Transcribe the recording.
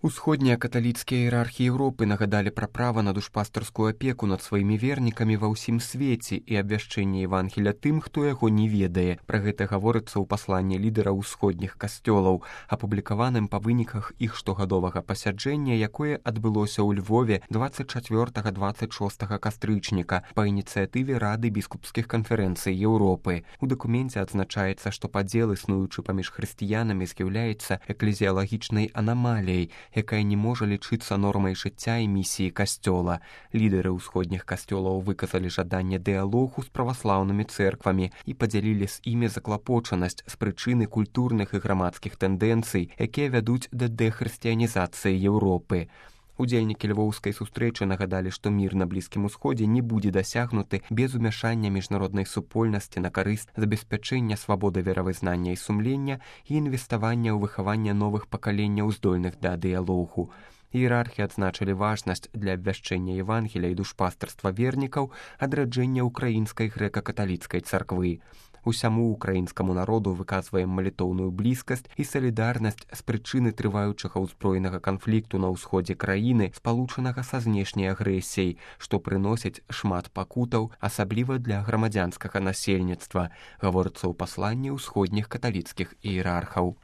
Усходнія каталіцкія іерархі Еўропы нагадалі пра права на душпастарскую апеку над сваімі вернікамі ва ўсім свеце і абвяшчэнне Евангеля тым, хто яго не ведае. Пра гэта гаворыцца ў пасланні лідэраў усходніх касцёлаў, апублікаваным па выніках іх штогадовага пасяджэння, якое адбылося ў Львове 24-26 кастрычніка па ініцыятыве Рады біскупскіх канферэнцый Еўропы. У дакуменце адзначаецца, што падзел, існуючы паміж хрысціянамі, з'яўляецца эклезіялагічнай анамаліяй, якая не можа лічыцца нормай жыцця і місіі касцёла. Лідэры ўсходніх касцёлаў выказалі жаданне дыялогу з праваслаўнымі цэрквамі і падзялілі з імі заклапочанасць з прычыны культурных і грамадскіх тэндэнцый, якія вядуць да дэхрысціянізацыі Еўропы. Удзельнікі львоўскай сустрэчы нагадалі, што мір на Блізкім Усходзе не будзе дасягнуты без умяшання міжнароднай супольнасці на карысць забеспячэння свабоды веравызнання і сумлення і інвеставання ў выхаванне новых пакаленняў, здольных да дыялогу. Іерархі адзначылі важнасць для абвяшчэння Евангеля і душпастарства вернікаў адраджэння ўкраінскай грэка-каталіцкай царквы. Усяму ўкраінскаму народу выказваем малітоўную блізкасць і салідарнасць з прычыны трываючага ўзброенага канфлікту на ўсходзе краіны, спалучанага са знешняй агрэсіяй, што прыносіць шмат пакутаў, асабліва для грамадзянскага насельніцтва, гаворыцца ў пасланні ўсходніх каталіцкіх іерархаў.